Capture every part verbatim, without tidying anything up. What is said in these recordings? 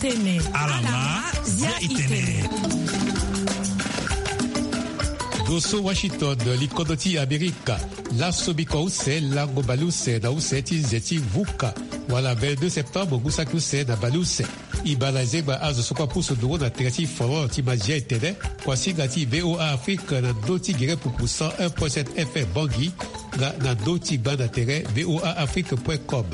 Alama, zia itene. Doso Washington, likodro ti Amerika. Laso bikua use lango baleuse na use ti nze ti vuka, wala vingt-deux septembre ngu saki use na baleuse. E baa na zengba azo so kue apusu nduru na tere ti folon ti mazia e tene, kuasinga ti V O A Afrique na ndö ti gere pupu cent un point sept F M Bangui, nga na ndö ti gba na tere V O A Afrique point com.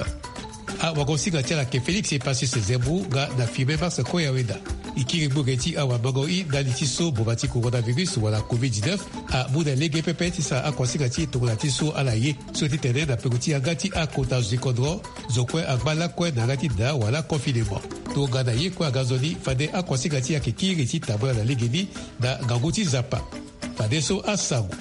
Awagosinga ti ala ayeke Félix Epacius Zemmour nga na Firmin Mars Koyaweda. E kiri gbu ge ti awamango i ndali ti so boma ti coronavirus wala covid dix-neuf amu na lege pepe ti sara akuasinga ti e tongana ti so ala ye. So ti tene na peko ti yanga ti akota zo ti kodro, zo kue angba lakue na yanga ti daa wala confinement. Tongana ye kue aga nzoni, fade akuasinga ti e ayeke kiri ti tambula na legeni na ngangu ti Nzapa. Fadeso asango.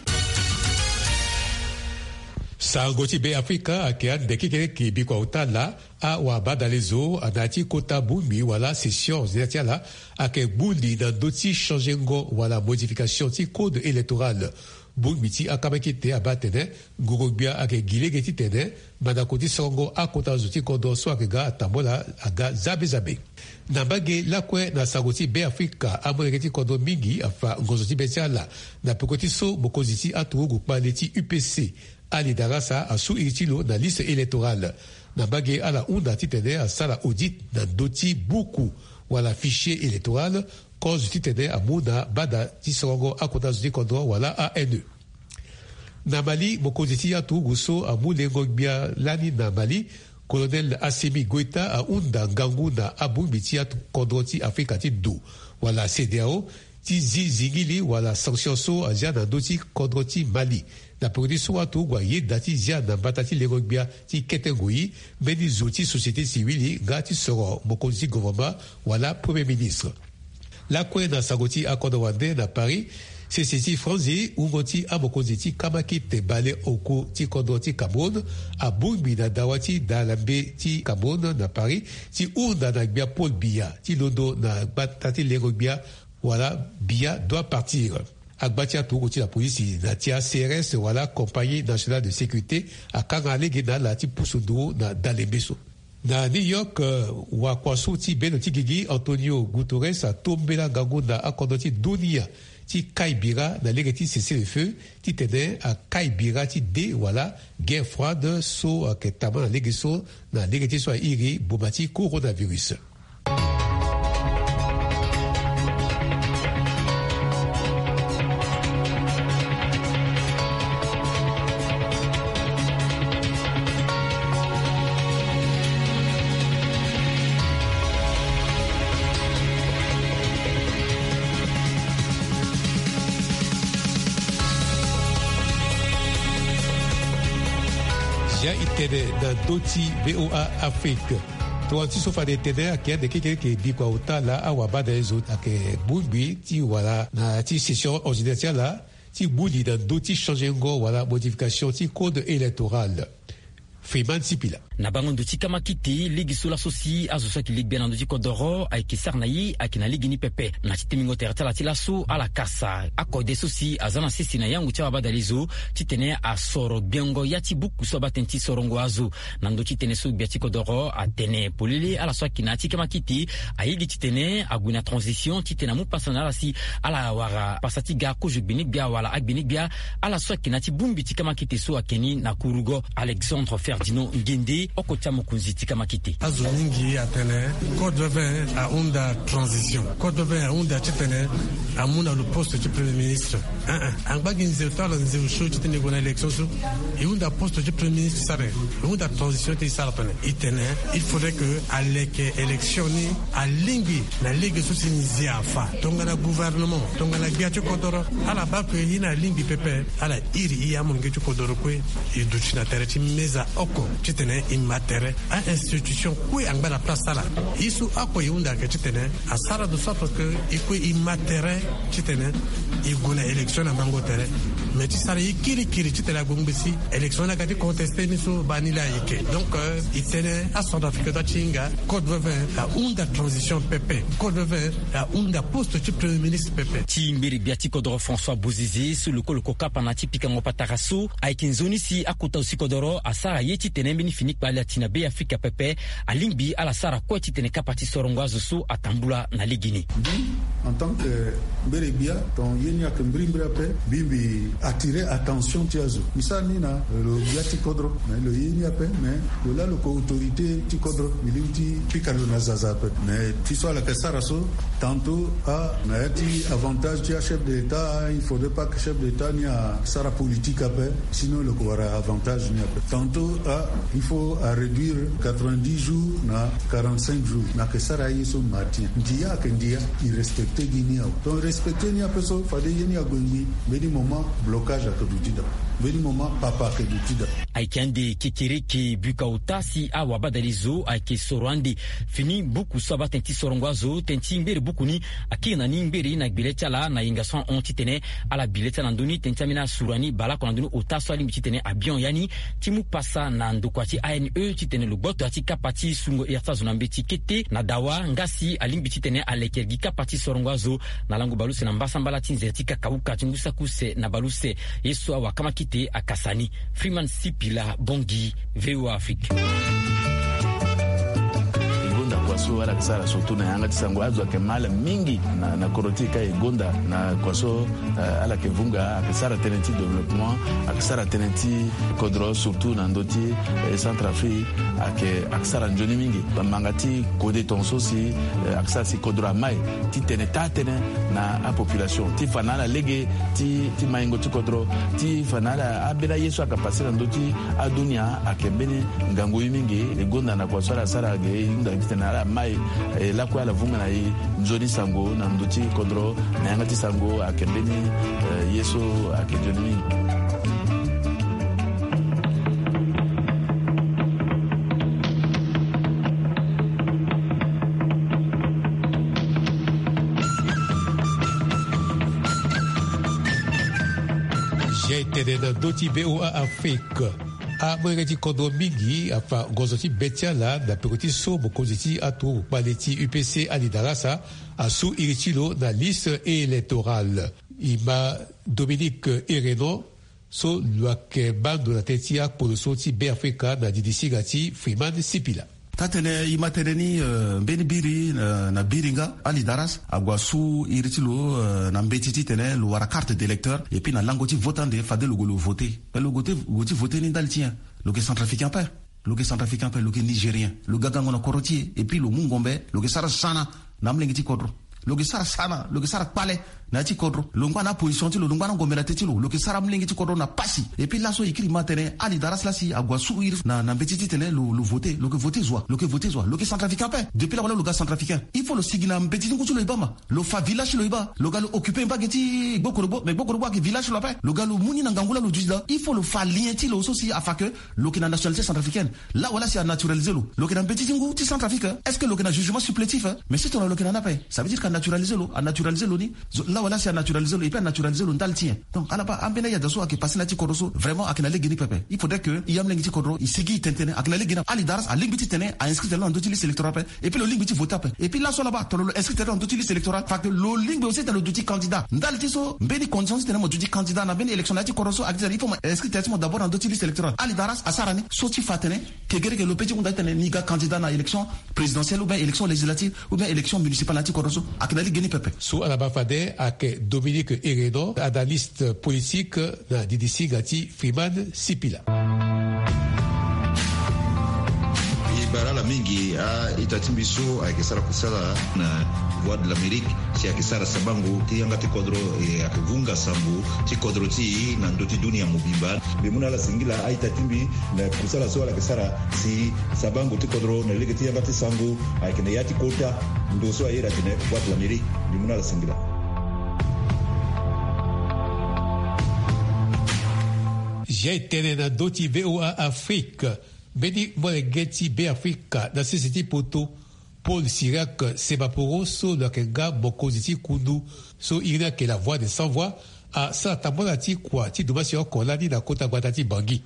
Sango ti Be Afrika ayeke ande kekereke bikua ota laa, awabadale zo na ya ti kota bongbi wala session ordinaire ti ala ayeke gbu li na ndö ti changengo wala modification ti code électoral. Bongbi ti akamakete abaa atene, ngoro-gbia ayeke gi lege titene mandako ti sorongo akota zo ti kodro so ayeke ga atambula aga zabe zabe. Na mbage lakue na sango ti Be Afrika, amolenge ti kodro mingi afa ngonzo ti be ti ala na peko ti so mokonzi ti aturugu kpale ti U P C, Ali Darassa, asu iri ti lo na liste électorale. Na mbage ala hunda titene asara audit na ndö ti buku wala fichier électoral, kozo titene amu na bada ti sorongo akota zo ti kodro wala A N E. Na Mali, mokonzi ti aturugu so amu lengo-gbia lani na Mali, Colonel Assimi Goïta, ahunda ngangu na abongbi ti akodro ti Afrika ti do wala CEDEAO ti zi zingili wala sanction so azia na ndö ti kodro ti Mali. Na peko ti so aturugu ayeda ti zia na mbata ti lengo-gbia ti kete ngoi mbeni zo ti société civile nga ti soro mokonzi ti gouvernement wala Premier ministre. Lakue na sango ti akodro wande na Paris, sese ti franzi wungo ti amokonzi ti kamakete baleoko ti kodro ti Cameroun abongbi na dawa ti dalambe ti Cameroun na Paris ti hunda na gbia Paul Biya ti londo na gbata ti lengo-gbia wala Biya doit partir. Agba ti aturugu ti la polisi na ti a C R S wala Compagnie Nationale de Sécurité akanga lege na ala ti pusu nduru na dalembe so. Na New York, eh, wakua so ti bendo ti gigi Antonio Guterres atombela ngangu na akodro ti dunia ti kai bira na lege ti cessez-le-feu titene akai bira ti de wala guerre froide so ayeke tama na lege so, na lege ti so airi boma ti coronavirus. Zia e tene na ndö ti V O A Afrique. Tongana ti so fade e tene ayeke ande kekereke bikua ota laa awabadale zo ayeke bongbi ti wala na ya ti session ordinaire ti ala ti gbu li na ndö ti changengo wala modification ti code électoral. Freeman Sipila. Na bango ndo ti kamakete, lege so laso si azo so ayeke legbia na ndö ti kodoro ayeke sara na ye ayeke na lege ni pepe. Na ti timbingo tere ti ala ti laso ala kasa akode so si aza na sese na yango ti awabadale zo titene asoro gbengo ya ti buku so abaa tënë ti sorongo azo. Na ndö ti tënë so gbia ti kodoro atene polele, ala so ayeke na ya ti kamakete aye gi titene ague na transition titene amu pasa na ala si ala wara pasa ti ga kozo gbene-gbia wala agbene-gbia. Ala so ayeke na ya ti bongbi ti kamakete so ayeke ni na kurugo, Alexandre Ferdinand Ngende, oko ti amokonzi ti kamakete. Azo mingi atene code vingt ahunda transition. Code vingt ahunda titene amu na lo poste ti premier ministre. Eh, eh. Angba gi nzeu ti ala nzeu so titene e gue na élection so, e hunda poste ti premier ministre sara, e hunda transition ti e sara tene. E tene il faudrait que aleke élection ni alingbi na lege so si nzia afa. Tongana gouvernement, tongana gbia ti kodoro, ala baa que e na alingbi pepe, ala iri e amolenge ti kodoro kue, e duti na tere ti meza oko titene e ma tere. A-institution kue angba na place ti ala. Ye so oko e hunda ayeke titene asara de sorte que e kue e ma tere titene e gue na élection na mango tere. Mais ti sara ye kirikiri titene agbongbi si élection ni aga ti contesté ni so baa ni laa ayeke. Donc, euh, e tene acentrafricain ti ahinga code veve ahunda transition pepe. Code veve ahunda poste ti premier ministre pepe. Ti ngbere gbia ti kodoro François Bozizé so lokoloko kapa na ti pikango patara so ayeke nzoni si akota zo ti kodoro asara ye titene mbeni fini kpale ati na Be Afrika pepe. Alingbi ala sara kue titene kapa ti sorongo azo so atambula na legeni. Mbi, en tant que mbere gbia, ton ye ni ayeke mbirimbiri ape. Mbi, mbi attirer attention ti azo. Mbi sara ni na lo gbia ti kodro, mais lo ye ni ape, mais lo laa lo yeke autorité ti kodro, mbi lingbi ti pika lo na zaza ape. Mais ti so ala yeke sara so, tantôt, ah, na ya ti avantage ti achef de l'État, ah, il faudrait pas que chef de l'État ni asara politique ape, sinon lo yeke wara avantage ni ape. Tantôt, ah, il faut aréduire quatre-vingt-dix jours na quarante-cinq jours. Na yeke sara aye so matin. Ndia ayeke ndia, e respecter gi ni awe. Donc, respecter ni ape so, fade ye ni ague ngbii. Mbeni moment, blocage ayeke duti daa. Mbeni moment, papa ayeke duti daa. Ayeke ande kekereke buka ota si awabadale zo ayeke soro ande fini buku so abaa tënë ti sorongo azo, tënë ti ngbere buku ni akiri na ni ngbere na gbele ti ala na yenga so ahon titene ala bi le ti ala na ndö ni, tënë ti ambeni asura ni baleoko na ndö ni ota so alingbi titene abion ya ni ti mu pasa na ndokua ti A N E titene lo gboto ya ti kapa ti sungo ere ti azo na mbeti kete na dawa nga si alingbi titene aleke gi kapa ti sorongo azo na lango baleuse na mbasambala ti nze ti kakauka ti ngu saki use na baleuse. Ye so awakama kite akasa ni. Freeman Sipila, Bangui, V O A Afrique. E gonda kua so ala yeke sara surtout na yanga ti sango, azo ayeke mal mingi na, na kodro ti e ka e gonda na kua so, eh, ala yeke vunga, ayeke sara tënë ti développement, ayeke sara tënë ti kodro surtout na ndö ti, eh, Centrafrique, ayeke, ayeke sara nzoni mingi. Manga ti kode tongaso si, eh, ayeke sara si kodro amai titene taa tënë na apopulation ti fa na ala lege ti, ti maingo ti kodro, ti fa na ala ambeni aye so ayeke pase na ndö ti adunia ayeke mbeni ngangu ye mingi. E gonda na kua so ala sara ge e hunda titene ala mai, eh, lakue ala vunga na e nzoni sango na ndö ti kodro na yanga ti sango ayeke mbeni, eh, ye so ayeke nzoni mingi. Zia e tene na ndö ti V O A Afrique. Amolenge ti kodro mingi afa gonzo ti be ti ala na peko ti so mokonzi ti aturugu kpale ti U P C Ali Darasa asu iri ti lo na liste électorale. E ma Dominique Erenon so lo yeke baa ndo na tënë ti akpolo so ti Be Afrika na didi singa ti Freeman Sipila. Taa-tënë, e ma tënë ni, eh, mbeni biri, eh, na biri nga, Ali Daras ague asu iri ti lo, eh, na mbeti titene lo wara carte d'électeur, et puis na lango ti vote ande fade lo gue lo vote. Mais lo gue ti, gue ti vote ni ndali ti nyen? Lo yeke centrafricain ape. Lo yeke centrafricain ape, lo yeke nigérien. Lo ga gango na kodro ti e, et puis lo mu ngombe, lo yeke sara sana na amolenge ti kodro. Lo yeke sara sana, lo yeke sara kpale na ya ti kodro. Lo ngba na aposition ti lo, lo ngba na ngombe na tënë ti lo, lo yeke sara amolenge ti kodro na pasi. Et puis laso e kiri ma tene Ali Daras lasi ague asu iri na, na mbeti titene lo, lo vote, lo yeke vote zo wa, lo yeke vote zo wa, lo yeke centrafricain ape. Depuis la wala lo ga centrafricain. Il faut lo sigi na mbeti ti ngu ti lo e baa ma. Lo fa village ti lo e baa. Lo ga lo occuper mba ge ti Gbokorogbo, mais Gbokorogbo ayeke village ti lo ape. Lo ga lo mu ni na ngangu la lo duti daa. Il faut lo fa lien ti lo so si afa que lo yeke na nationalité centrafricaine. La wala si a naturalisé lo. Lo yeke na mbeti ti ngu ti Centrafrique, hein. Est-ce que lo yeke na jugement supplétif, hein? Mais si tongana lo yeke na ni ape, ça veut dire que a naturalisé lo, a naturalisé lo ni. Zo, la wala si a naturalisé lo, et puis a naturalisé lo ndali ti nyen? Donc, ala baa, ambeni ayada so ayeke passé na ya ti kodro so, vraiment, ayeke na lege ni pepe. Il faudrait que e amolenge ti kodro e sigi e tene tënë, ayeke na lege ni. Ali Daras alingbi ti tene a inscrit tene lo na ndö ti liste électorale ape. Et puis lo lingbi ti voter ape. Et puis laso ala baa, tongana lo inscrit tene lo na ndö ti liste électorale, fa que lo lingbi aussi tene lo duti candidat. Ndali ti so, mbeni condition ti tene mo duti candidat na mbeni élection na ya ti kodro so, ayeke ti tene il faut mo inscrit tene ti mo d'abord na ndö ti liste électorale. Ali Daras asara ni, so ti fa tene kegereke lo peut ti hunda ti tene ni ga candidat na élection présidentielle ou bien élection législative ou bien élection municipale na ya ti kodro so, ayeke na lege ni pepe. So ala baa fade ayeke Dominique Erenon, analyste politique na didi singa ti Freeman Sipila. E bara ala mingi a-ita ti mbi so ayeke sara kusala na Voix de l'Amérique, si ayeke sara sabango ti yanga ti kodro, e ayeke vunga sango ti kodro ti e na ndö ti dunia mobimba. Mbi mu na ala singila a-ita ti mbi na kusala so ala yeke sara si sabango ti kodro na lege ti yanga ti sango ayeke na ya ti kota ndo so a iri atene Voix de l'Amérique. Mbi mu na ala singila. Zia e tene na ndö ti V O A Afrique, mbeni molenge ti Be Afrika na sese ti poto, Paul Cyriaque Semaporo so lo yeke nga mokonzi ti kundu so iri ni ayeke La Voix des Sans Voix, asara tambala ti kua ti dumbasi oko lani na kota gbata ti Bangui.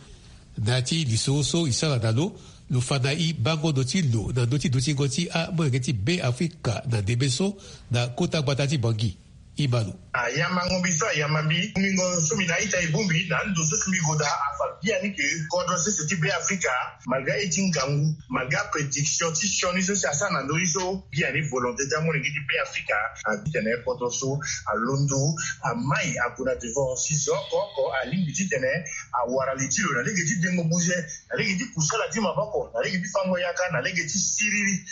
Na ya ti lisoro so e sara na lo, lo fa na e bango ndo ti lo na ndö ti dutingo ti amolenge ti Be Afrika na ndembe so na kota gbata ti Bangui. Ibalo. Ayamba ngombi so ayamba mbi, ngombi ngo so mbi na ita e bongbi na ndo so si mbi goda afa biani ke kodro sese ti Be Afrika, malgré aye ti ngangu, malgré aprédiction ti sioni so si asara na ndö ni so, biani volonté ti amolenge ti Be Afrika, atitene kodro so alondo, amai ague na devant si zo oko oko alingbi titene awara li ti lo na lege ti dengo buze, na lege ti kusala ti maboko, na lege ti fango yaka, na lege ti siriri.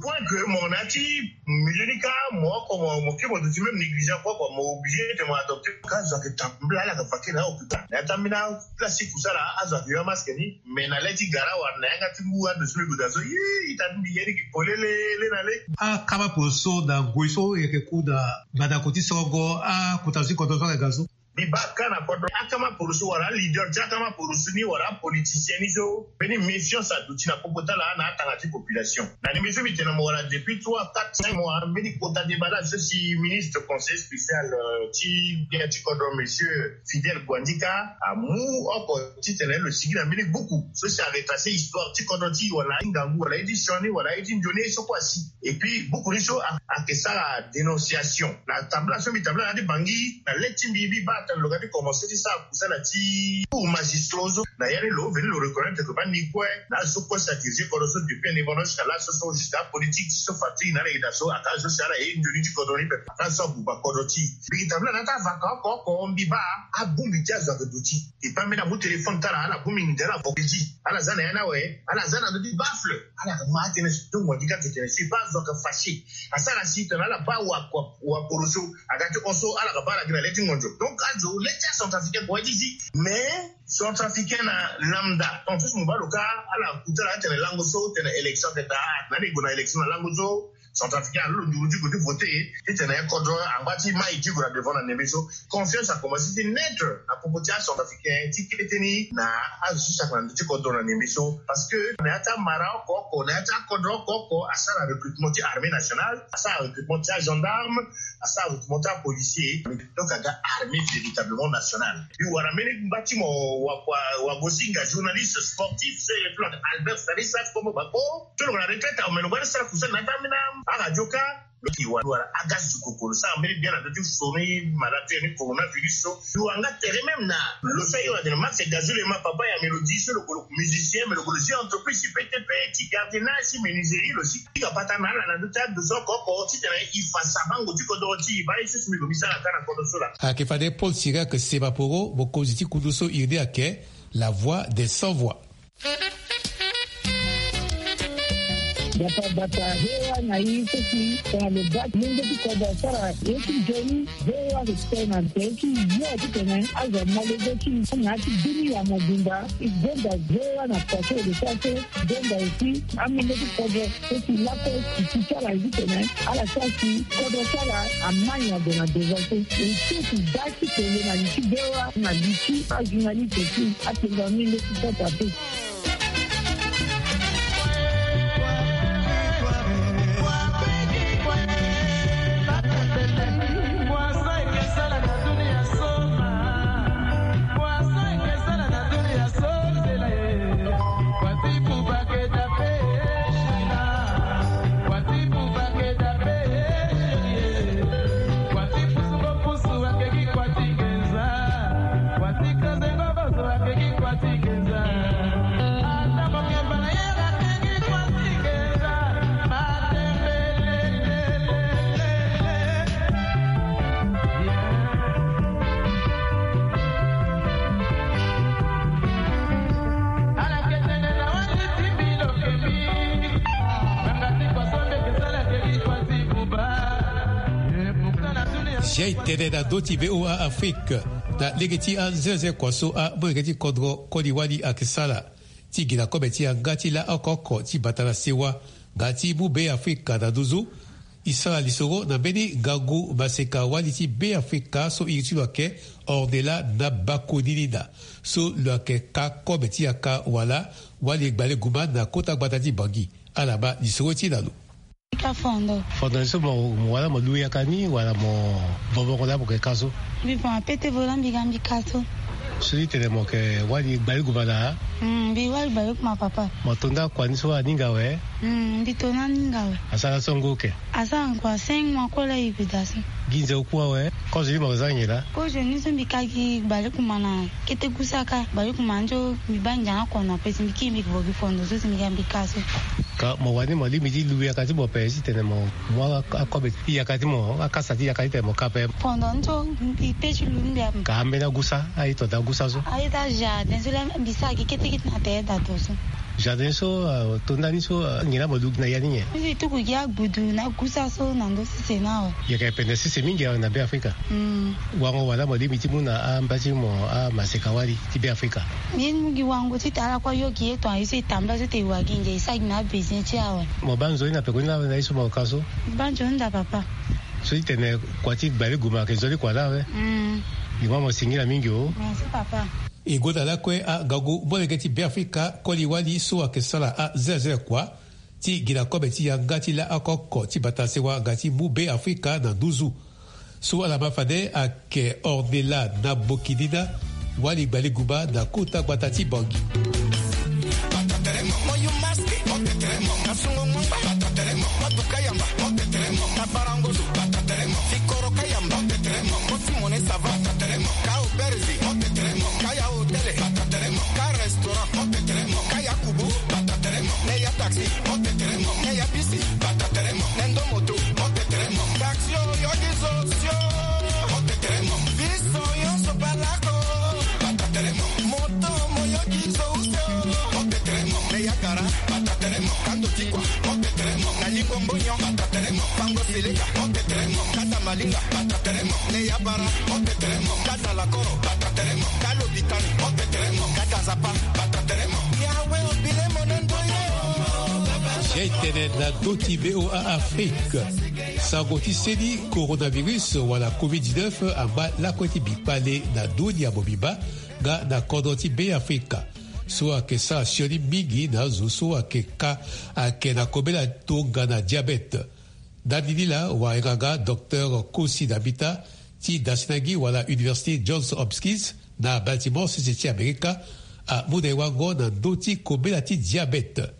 Point que mo na ti milieu ni ka mo oko mo mo ke mo duti même négligent kue kua, mo obligé te mo adopter. Ka zo ayeke tambula ala yeke fa ke na hôpital na ya ti ambeni place ti kusala, azo ayeke yo amasque ni. Mais na le ti gara wala na yanga ti ngu ando so mbi goda so, ita ti mbi ye ni ki polele le na le. Akama poroso na ngoi so yeke ku na mandako ti sorongo akota zo ti kodro so ayeke ga so. Mbi baa ka na kodro akama poroso wala aleader ti akama poroso ni wala apoliticien ni so mbeni méfiance aduti na popo ti ala na atanga ti population. Na ndembe so mbi tene na mo wala depuis trois quatre cinq mois, mbeni kota deba la so si ministre conseiller spécial, euh, ti gbia ti kodro, monsieur Fidèle Guandika, amu oko titene lo sigi na mbeni buku so si aretrace histoire ti kodro ti e wala aye ti ngangu wala aye ti sioni wala aye ti nzoni aye so kue asi. Et puis buku ni so a- ayeke sara dénonciation na tambula so mbi tambula na ya ti Bangui na le ti mbi, mbi baa tene lo ga ti commencer ti sara kusala ti cours magistraux so na ya ni lo veni lo reconnaître que baa ni kue na azo so kue si adirige kodro so depuis indépendance jusqu'à là so so jusqu'à politique ti so fatigue na ala yeda so aka azo si ala ye nzoni ti kodro ni pepe aka azo so abuba kodro ti e. Mbi yeke tambula na ya ti avaka oko oko mbi baa abongbi ti azo ayeke duti. E pambe na amu téléphone ti ala ala bongbi nginza ala vokedi ala za na ya ni awe ala za na ndö ti baffle. Ala yeke ma atene tongo andi ka tene si e baa azo ayeke fâché. Asara si tene ala baa wa kua wa poroso aga ti hon so ala yeke baa ala gi na le ti ngonzo. Donc azo le ti acentrafricain kua ti si mais centrafricain na lambda tant so si mo baa lo ka ala kuta ala atene lango so tene élection ayeke daa na ala e gue na élection na lango so. Centrafricain alondo nduru ti gue ti voter titene kodro angba ti mai ti gue na devant na ndembe so. Confiance akomanse ti naître na popo ti acentrafricain ti kete ni na azo so si ayeke na ndö ti kodro na ndembe so. Parce que na ya ti amara oko oko na ya ti akodro oko oko asara recrutement ti armée nationale, asara recrutement ti agendarme, asara recrutement ti apolicier. Donc aga armée véritablement nationale. Mbi wara mbeni ngba ti mo wa- wa- wagosinga journaliste sportif so e replante Albert Stanislas Kombo Bako. So lo gue na retraite awe me lo baa ni sara kusala na ya ti ambeni aradio ka. Lo ti wara aga zukoko lo sara mbeni bien na ndö ti soni malade ni coronavirus so. Lo wara nga tere même na lo so aye wala tene Max Gazou Lema papa ya Mélodie so lo gue lo musicien me lo gue lo zi entreprise ti P T P ti gardiennage ti menuiserie lo zi. Ti ga pata na ala na ndö ti ado so oko oko titene e fa sabango ti kodoro ti e baa ye so si mbi gue mbi sara ka na kodoro so laa. Ayeke fade Paul Sirac Semaporo mokonzi ti kundu so iri ni ayeke La Voix des Sans Voix. Bata bata V O A na e so si tongana lo baa ti lenge ti kodro asara ye ti nzoni. V O A respect na nze ti yo titene azo amolenge ti na ya ti bini ya mobimba. E gonda V O A na kua so e lo sara so. Gonda aussi amolenge ti kodro so si lakue si ti ti ala ye titene ala sara si kodro ti ala amai na gue na devant so. E so si baa ti tene na li ti V O A na li ti ajournaliste aussi atene amolenge ti kota pe. Zia e tene na ndö ti V O A Afrique, na lege ti anzenze kua so amolenge ti kodro koli wali ayeke sara ti gi na kobe ti yanga ti laa oko oko ti bata na sewa nga ti mu Be Afrika na nduzu. E sara lisoro na mbeni ngangu maseka wali ti Be Afrika so iri ti lo ayeke Ornella Nabakonini na so lo yeke ka kobe ti yaka wala wali gbale guma na kota gbata ti Bangui. Ala ma lisoro ti na lo. Ka fondo. Fondo ni so mo, mo wala mo lu yaka ni wala mo vovongo laa mo yeke ka so? Mbi voma pete vo laa mbi ga mbi ka so. So ti tene mo yeke wali gbale guma na? Mm, mbi wali gbale guma papa. Mo to nda kua ni so aninga awe? Mm, mbi to na aninga awe. Asara so ngu oke? Asara ngu a cinq mois kue laa e gue daa so. Gi nze oku awe? Kozo ni mo yeke za nyen laa? Kozo ni so mbi ka gi gbale guma na kete gusa ka, gbale guma ni so mbi baa ndia na kono ape si mbi kiri mbi yeke vo gi fondo so si mbi ga mbi ka so. Ka mo wani mo lingbi ti lu yaka ti mo ape si tene mo mu a, akobe ti yaka ti mo, akasa ti yaka ti tene mo ka ape? Fondo ni so mbi pe ti lu mbi ape. Ka ambeni agusa, aye to daa gusa so? Aye daa jardin so laa mbi sara gi kete kete na tere daa to so. Jardin so, ah, to nda ni so, ah, nyen laa mo lu gi na ya ni nyen? Mbi tuku gi agbudu na gusa so na ndö sese ni awe. Yeke pende sese mingi awe na Be Afrika. Mm. Wango wala mo lingbi ti mu na amba ti mo amaseka wali ti Be Afrika? Mbi mu gi wango ti tara ala kue ayo gi ye tonga ye so e tambula so te e wa gi ndia e sara gi na abesoin ti e awe. Mo baa nzoni na peko ni laa na ye so mo ka so? Mbi baa nzoni daa papa. So ti tene kua ti gbale guma ayeke nzoni kua laa awe. Mm. Mbi ma mo singila mingi o. Merci papa. E gonda lakue angangu molenge ti Be Afrika koli wali so ayeke sara azelazela kua ti gi na kobe ti yanga ti laa oko oko ti bata sewa nga ti mu Be Afrika na nduzu. So ala ma fade ayeke Ornella Nabokinina, wali gbale guma na kota gbata ti Bangui. Ka restaurant, ka ya kubu, ne ya taxi, ne ya bisi, ne ndo moto, taxi o yo gi zo sio, biso nyonso palako, moto mo yo gi zo usio, ne ya gara, kando tikua, na lingo mbonyo, fango seleka, kata malinga, ne ya bara, kata lakoro, kata lopitani, kata nzapa, yawe obile monendo ye. Zia e tene na ndö ti V O A Afrique. Sango ti seni coronavirus wala covid dix-neuf angba lakue ti bikpale na ndö ni ya mobimba nga na kodro ti Be Afrika. So ayeke sara sioni mingi na azo so ayeke ka ayeke na kobela tongana diabète. Ndani ni laa wayanga nga docteur Kosi Dambita ti Dasinagi wala Université Johns Hopkins na Baltimore, sese ti Amerika, amu na e wango na ndö ti kobela ti diabète.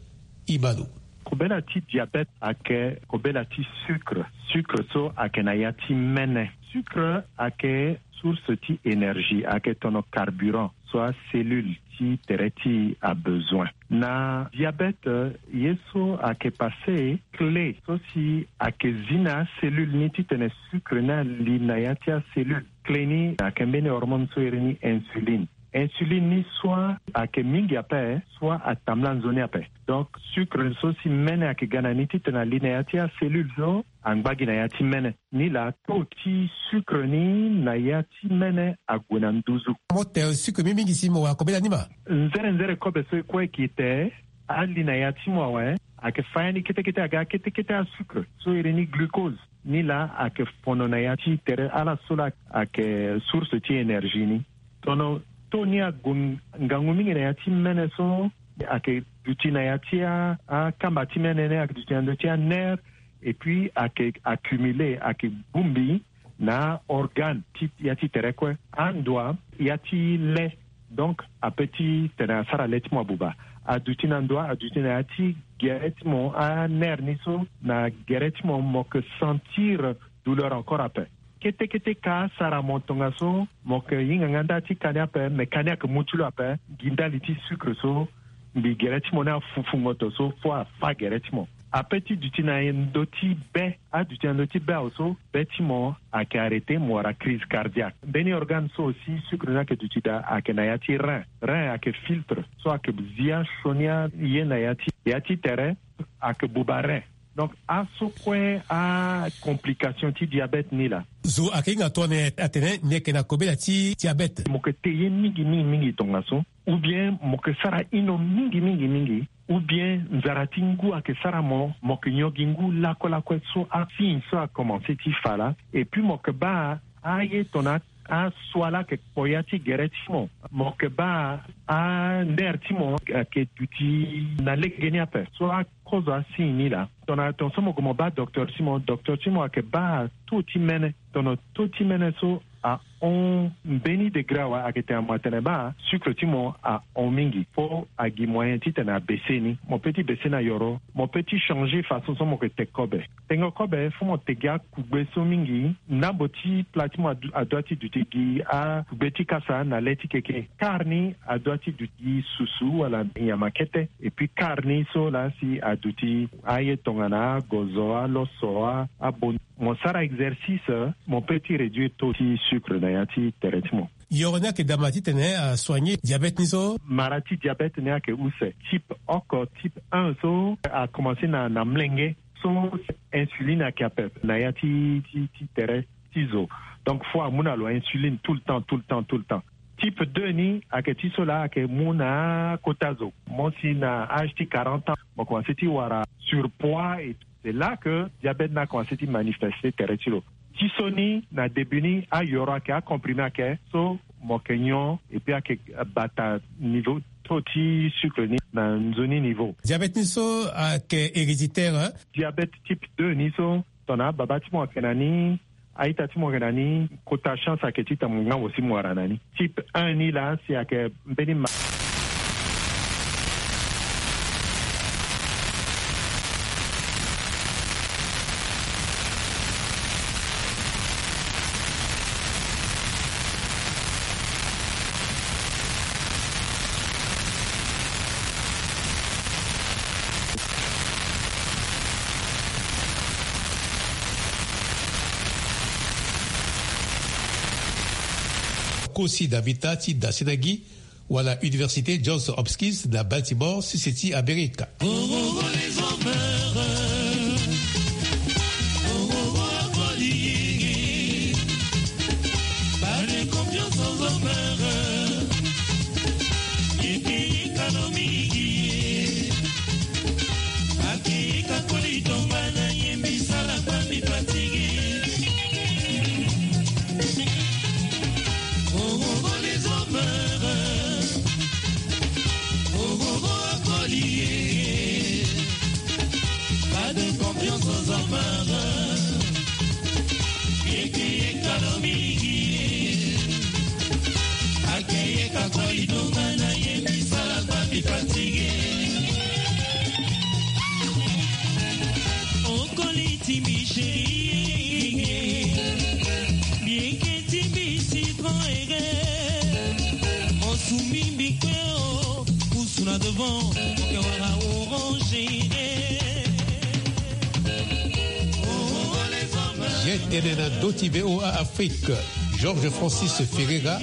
Imalo. Kobela ti diabète ayeke kobela ti sucre. Sucre so ayeke na ya ti mene. Sucre ayeke source ti énergie, ayeke tono carburant so acellule ti tere ti e abezoin. Na diabète, ye so ayeke passé clé so si ayeke zi na acellule ni titene sucre ni ali na ya ti acellule. Clé ni ayeke mbeni hormone so iri ni insuline. Insuline ni soit ayeke mingi ape, soit atambula nzoni ape. Donc sucre so si mene ayeke ga na ni titene ali na ya ti acellule so angba gi na ya ti mene. Ni laa taux ti sucre ni na ya ti mene ague na nduzu. Mo te sucre mingi mingi si mo wara kobela ni ma? Nzere nzere kobe so e kue e ke te, ali na ya ti mo awe, ayeke fa ya ni kete kete aga kete kete asucre so iri ni glucose. Ni laa ayeke fono na ya ti tere ala so laa ayeke source ti énergie ni. Tono taux ni ague ngangu mingi na ya ti mene so ayeke duti na ya ti a, akamba ti mene ni ayeke duti na ndö ti anerf, et puis ayeke accumulé, ayeke bongbi na organe ti ya ti tere kue. Andoa ya ti le, donc ape ti tene asara le ti mo abuba. Aduti na ndoa, aduti na ya ti gere ti mo, anerf ni so na gere ti mo, mo yeke sentir douleur encore ape. Kete kete ka asara mo tongaso mo yeke hinga nga nda ti ka ni ape, me ka ni ayeke mu ti lo ape gi ndali ti sucre so mbi gere ti mo ni afufu ngoto so fo afa gere ti mo. Ape ti duti na ndö ti be, aduti na ndö ti be awe so be ti mo ayeke arrêté, mo wara crise cardiaque. Mbeni organe so aussi sucre ni ayeke duti daa ayeke na ya ti rein. Rein ayeke filtre so ayeke zia sioni aye na ya ti, ya ti tere, ayeke buba rein. Donc aso kue acomplication ti diabète ni laa. Zo ayeke hinga tongana atene ni yeke na kobela ti diabète. Mo yeke te ye mingi mingi mingi tongaso, ou bien mo yeke sara ino mingi mingi mingi, ou bien nzara ti ngu ayeke sara mo, mo yeke nyon gi ngu lakue lakue. So asigne so akomanse ti fa laa. Et puis mo yeke baa aye tongana asua laa ayeke kpo ya ti gere ti mo. Mo yeke baa andere ti mo ayeke duti na legeni ape. So akozo asigne ni laa, tongana tongaso mo gue mo baa docteur ti mo, docteur ti mo ayeke baa taux ti mene. Tongana taux ti mene so ahon mbeni degré awe, ayeke tene mo atene baa sucre ti mo ahon mingi. Fo agi moyen titene abese ni. Mo pe ti bese na yoro, mo pe ti changer façon so mo yeke te kobe. Tengo kobe fo mo tegi akugbe so mingi. Ndambo ti plat ti mo adu- adua ti duti gi akugbe ti kasa na le ti keke. Kar ni adua ti duti gi susu wala nyama kete. Et puis kar ni so laa si aduti aye tongana agozo, aloso, a- abon. Mo sara exercice, mo pe ti réduire taux ti sucre na ya ti tere ti mo. Yoro ni ayeke daa ma titene asoigner diabète ni so. Mara ti diabète ni ayeke use. Type oko, type un so akomanse na, na mlenge. So insuline ayeke ape na ya ti, ti, ti tere ti zo. Donc fo amu na lo insuline tout le temps, tout le temps, tout le temps. Type deux ni ayeke ti so laa ayeke mu na akota zo. Mo si na âge ti quarante ans mo komanse ti wara surpoids et c'est là que diabète ni akomanse ti manifeste tere ti lo. Ti so ni na début ni ayoro ayeke, acomprimé ayeke, so mo yeke nyon et puis ayeke bata niveau taux ti sucre ni na nzoni niveau. Diabète ni so ayeke héréditaire, hein? Diabète type deux ni so tongana ababa ti mo ayeke na ni, a-ita ti mo ayeke na ni, kota chance ayeke ti tene mo nga mo si mo wara na ni. Type un ni laa si ayeke mbeni ma- Kosi na mita ti dasena gi wala Université Johns Hopkins na Baltimore, sese ti Amerika. Pas de confiance aux hommes. Yeke yeka lo mingi. Ake yeka koli donga na ye misala kwa mi fatigué. Okoli ti mi chérie. Bieke ti mi citron ere. Mosumi mbi kue o. Pusu na devant. Oke wara orange ere. Ye tene na ndö ti V O A Afrique, Georges Francis Ferreira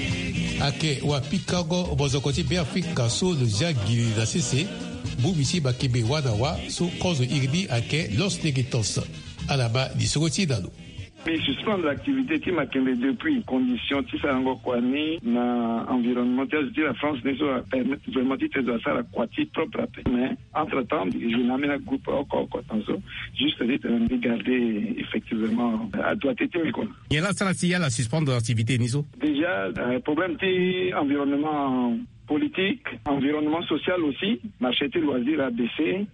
ayeke wapikango mozoko ti Beafrika so lo zia gili na sese, bongbi ti makembe wâ na wâ so kozo iri ni ayeke Los Negritos. Ala bâ lisoro ti e na lo. Mbi suspendre activité ti makembe depuis condition ti sarango kua ni na environnement ti azo ti la France ni so apermettre vraiment ti tene zo asara kua ti propre ape. Mais entre temps je na ambeni agroupe oko oko tongaso. Juste ti tene mbi garder effectivement adroite ti mbi kua. Nyen la asara si ala suspendre activité ni so? Déjà euh, problème ti environnement politique, environnement social aussi, marché ti loisir a baissé.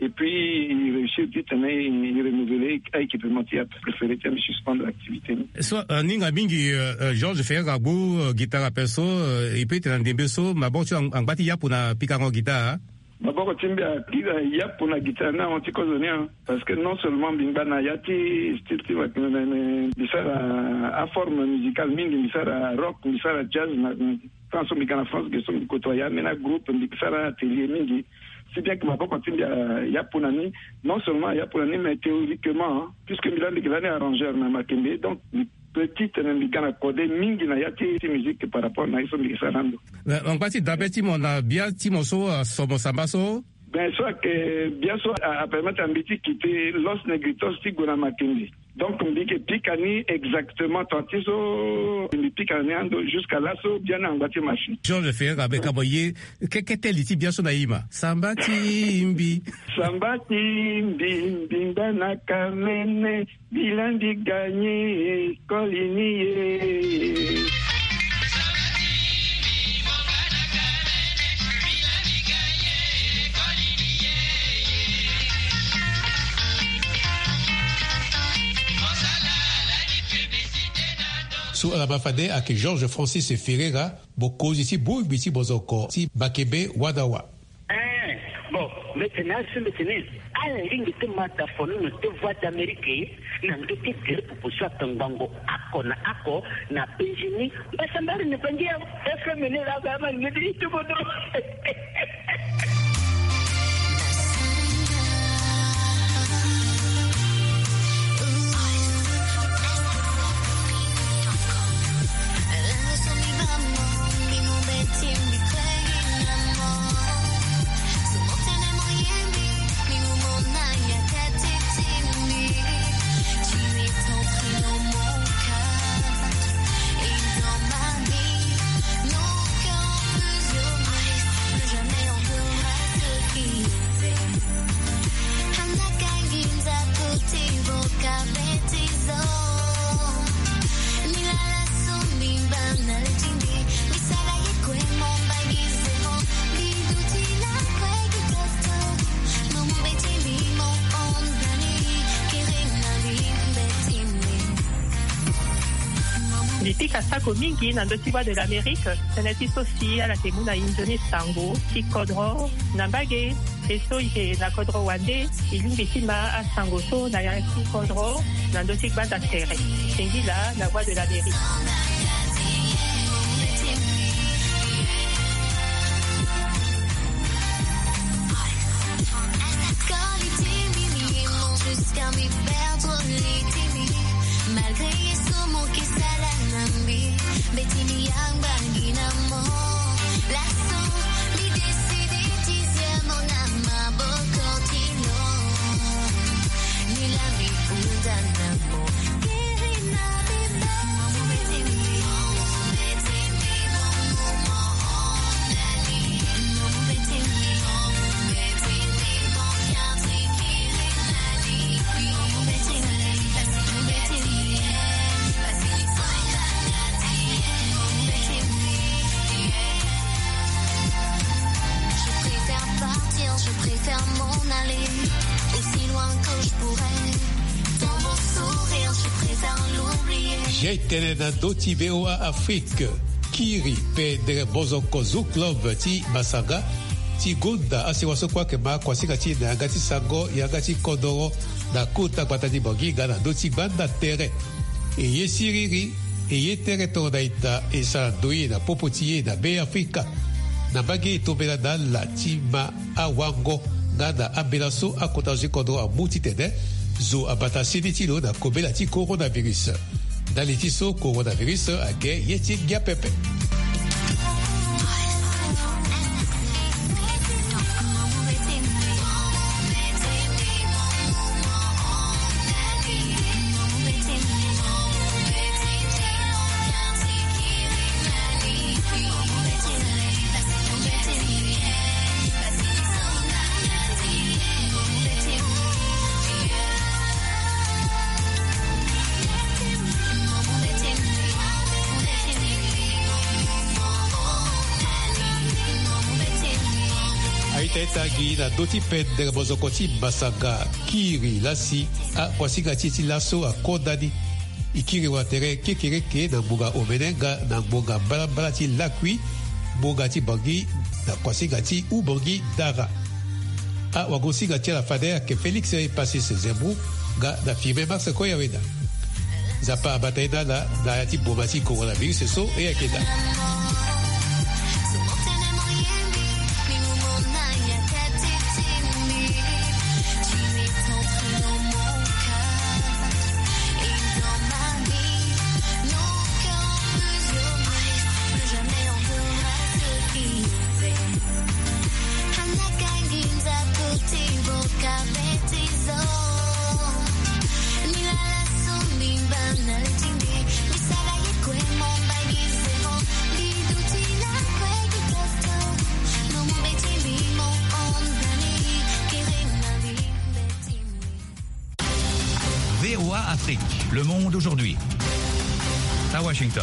Et puis il réussit ti tene il renouveler a équipement ti ape. Préféré ti ami suspendre activité ni. So euh, aninga mingi euh, euh, Georges Ferreira agbu euh, guitare ape so euh, e peut ti tene na ndembe so maboko ti angba ti yapu na pikango guitare. Maboko ti mbi akiri yapu na guitare ni ahon ti kozo ni. Parce que non seulement mbi ngba na ya ti style ti mbi sara aforme musicale mingi, mbi sara rock, mbi sara jazz na. Tant so mbi ga na France ge so mbi kotoa ya ambeni agroupe, mbi sara atelier mingi. Si bien que maboko ti mbi ayapu na ni. Non seulement ayapu na ni mais théoriquement, puisque mbi laa mbi yeke lani arrangeur na makembe, donc mbi peut ti tene mbi ga na kode mingi na ya ti musique par rapport na ye so mbi yeke sara na ndo. Angba ti dabe ti mo na bia ti mo so aso mo samba so? Ben so ayeke biaso apermettre na mbi ti kite Los Negritos ti gue na Makindye. Donc mbi yeke pika ni exactement tant ti so mbi pika na ni ando jusqu'à laso biani angba ti machine. Georges Ferreira, be ka mo ye kekete li ti biaso na ima. Samba ti mbi. Samba ti mbi, mbi ngba na kamene. Bila mbi gagné, koli ni ye. So ala ma fade ayeke Georges Francis Ferreira, mokonzi ti bongbi ti bozoko ti Makebe Wadawa. Eh, bon, mbeti ni asi mbeti ni. Ala lingbi ti ma dafo ni na te Voix d'Amérique na ndö ti gere proposition atangbango oko na oko na penzi ni. Mbasambari ni bangi ya F M ni la ba ma ngedi ti bodo. Mbi pika sako mingi na ndö ti Voix de l'Amérique, tënë ti so si ala yeke mu na inzo ni sango ti kodro na mbage. E so e yeke na kodro wande, e lingbi ti ma asango so na ya ti kodro na ndö ti gbanda tere. Singila na Voix de l'Amérique. Jai tene na ndö ti V O A Afrique. Kiri pe dere bozoko Zoo Club ti Massanga ti gonda asewa so kue ayeke ma kuasinga ti e na yanga ti sango, yanga ti kodoro na kota gbata ti Bangui nga na ndö ti gbanda tere. E ye siriri, e ye tere tongana ita, e sara ndoye na popo ti e na Be Afrika. Na mbage e tombela na ala ti ma awango nga na ambela so akota zo ti kodro amu titene zo abata seni ti lo na kobela ti coronavirus. Ndali ti so coronavirus ayeke ye ti ngia pepe. Aita ita gi na ndö ti pendere bozoko ti Massanga, kiri lasi akuasinga ti e ti laso akonda ni. E kiri watere kekereke na ngbonga omene nga na ngbonga mbalambala ti lakui, ngbonga ti Bangui na kuasinga ti Oubangui Dara. Awagosinga ti ala fade ayeke Félix Epasis Zembrou nga na Firmin Max Koyaweda. Nzapa abata ye na ala na ya ti boma ti coronavirus so e yeke daa. Le monde aujourd'hui. À Washington.